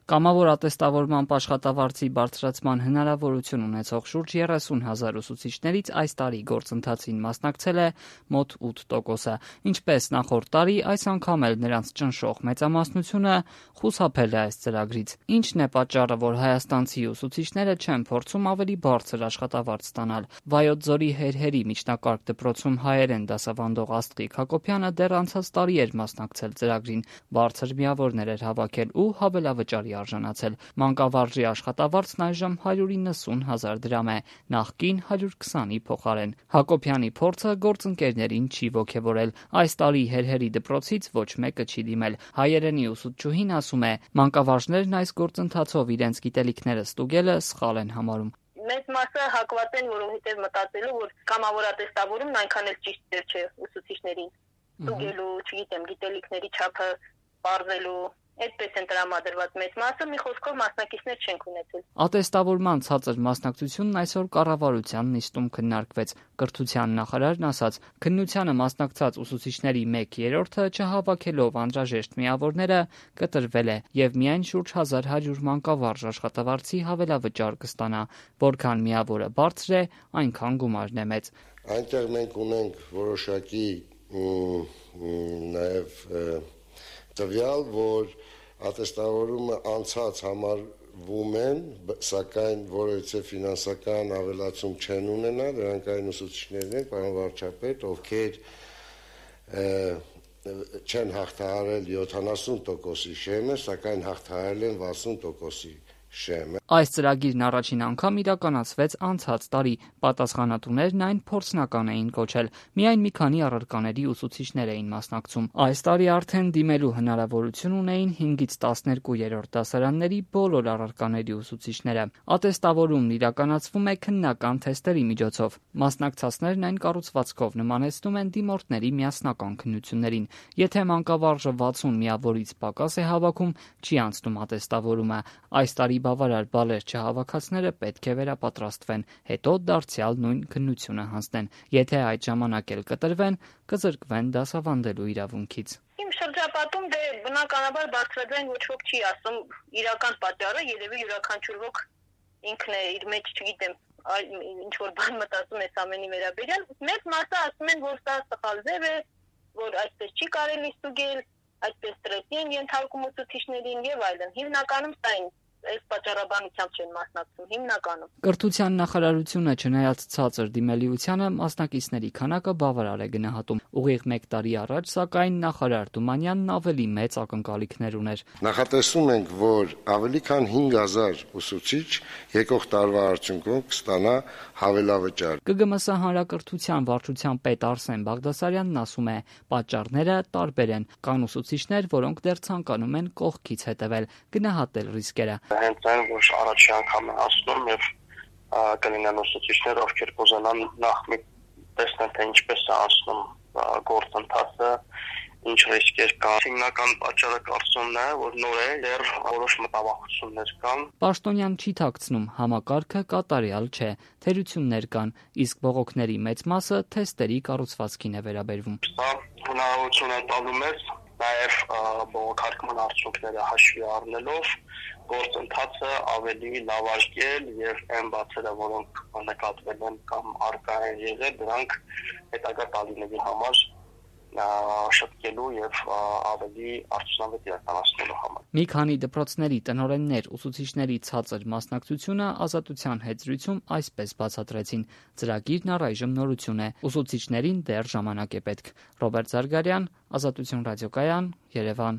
Կամավոր ատեստավորման աշխատավարձի բարձրացման հնարավորություն ունեցող շուրջ 30,000 ուսուցիչներից այս տարի գործընթացին մասնակցել է մոտ 8%-ը։ Ինչպես նախորդ տարի, այս անգամ էլ նրանց ճնշող մեծամասնությունը խուսափել է այս ծրագրից։ Ինչն է պատճառը, որ հայաստանցի ուսուցիչները չեն փորձում ավելի բարձր աշխատավարձ ստանալ։ Վայոց ձորի Հերհերի միջնակարգ դպրոցում հայերեն դասավանդող Աստղիկ Հակոբյանը դեռ անցած տարի էր մասնակցել ծրագրին, բարձր միավորներ էր հավաքել ու հավելավճարի արժանացել։ Մանկավարժի աշխատավարձն այժմ 190,000 դրամ է, նախկին 120-ի փոխարեն։ Հակոբյանի փորձը գործընկերներին չի ոգևորել։ Այս տարի Հերհերի դպրոցից ոչ մեկը չի դիմել։ Հայերենի ուսուցչուհին ասում է, մանկավարժներն այս գործընթացով իրենց գիտելիքները ստուգելը սխալ են համարում։ Մեծ մասը հակված են, որովհետև մտածելու, որ կամավոր ատեստավորումն այնքան էլ ճիշտ չէ ուսուցիչներին։ Ստուգելու, չգիտեմ, գիտելիքների չափը պարզելու Այդպես են տրամադրված մեծ մասը, մի խոսքով մասնակիցներ չենք ունեցել։ Ատեստավորման ցածր մասնակցությունն այսօր կառավարության նիստում քննարկվեց։ Կրթության նախարարն ասաց, քննությանը մասնակցած ուսուցիչների 1/3-ը չհավաքելով անհրաժեշտ միավորները կտրվել է եւ միայն շուրջ 1100 մանկավարժ աշխատավարձի հավելավճար կստանա, որքան միավորը բարձր է, այնքան գումարն է մեծ։ Այնտեղ մենք ունենք որոշակի նաեւ տվյալ, որ ատեստավորումը անցած համարվում են, սակայն որևիցե ֆինանսական ավելացում չեն ունենա, դրանք այն ուսուցիչներն են, պարոն վարչապետ, ովքեր չեն հաղթահարել 70%-ի շեմը, սակայն հաղթահարել են 60%-ի շեմը։ Այս ծրագիրն առաջին անգամ իրականացվեց անցած տարի։ Պատասխանատուներն այն փորձնական էին կոչել։ Միայն մի քանի առարկաների ուսուցիչներ էին մասնակցում։ Այս տարի արդեն դիմելու հնարավորություն ունեին 5-ից 12-րդ դասարանների բոլոր առարկաների ուսուցիչները։ Ատեստավորումն իրականացվում է քննական թեստերի միջոցով։ Մասնակցածներն այն կառուցվածքով նմանեցնում են դիմորդների միասնական քննություններին։ Եթե մանկավարժը 60 միավորից պակաս է հավաքում, չի անցնում ատեստավորումը։ Այս տարի բավարար բալեր չհավաքածները պետք է վերապատրաստվեն, հետո դարձյալ նույն քննությունը հանձնեն։ Եթե այդ ժամանակ էլ կտրվեն, կզրկվեն դասավանդելու իրավունքից։ Իմ շրջապատում բնականաբար բարձրաձայն ոչ ոք չի ասում իրական պատճառը, երևի յուրաքանչյուր ոք ինքն է իր մեջ, չգիտեմ, ինչ որ բան մտածում է ամենի վերաբերյալ։ Մեծ մասը ասում են, որ սա սխալ ձև է, որ այսպես չի կարելի ստուգել, այսպես ստրեսի են ենթարկում ուսուցիչներին եւ այլն։ Հիմնականում սա այն այս պատճառաբանությամբ չեն մասնակցում հիմնականում։ Կրթության նախարարությունը չնայած ցածր դիմելիությանը մասնակիցների քանակը բավարար է գնահատում։ Ուղիղ 1 տարի առաջ, սակայն նախարար Թումանյանն ավելի մեծ ակնկալիքներ ուներ։ Նախատեսում ենք, որ ավելի քան 5000 ուսուցիչ եկող տարվա արդյունքում կստանա հավելավճար։ ԿԳՄՍ հանրակրթության վարչության պետ Արսեն Բաղդասարյանն ասում է, պատճառները տարբեր են։ Կան ուսուցիչներ, որոնք դեռ ցանկանում են կողքից հետևել, գնահատել ռիսկերը։ Հենց այն, որ առաջի անգամ են ասնում եւ կլինեն ուսուցիչներ, ովքեր կուզենան նախ մի տեսնեն, թե ինչպես է անցնում գործընթացը, ինչ ռիսկեր կան։ Հիմնական պատճառը կարծումն է, որ նոր է, դեռ որոշ մտավախություններ կան։ Պաշտոնյան չի թաքցնում, համակարգը կատարյալ չէ, թերություններ կան, իսկ բողոքների մեծ մասը թեստերի կառուցվածքին է վերաբերվում։ Սա հնարավորություն է տալու մեզ նաև բողոքարկման արդյունքները հաշվի առնելով գործընթացը ավելի լավարկել եւ այն բացերը, որոնք նկատվել են կամ առկա են եղել, դրանք հետագա տարիների համար շտկելու եւ ավելի արդյունավետ իրականացնելու համար։ Մի քանի դպրոցների տնօրեններ ուսուցիչների ցածր մասնակցությունը Ազատության հետ զրույցում այսպես բացատրեցին. ծրագիրն առայժմ նորություն է, ուսուցիչներին դեռ ժամանակ է պետք։ Ռոբերտ Զարգարյան, Ազատություն ռադիոկայան, Երևան։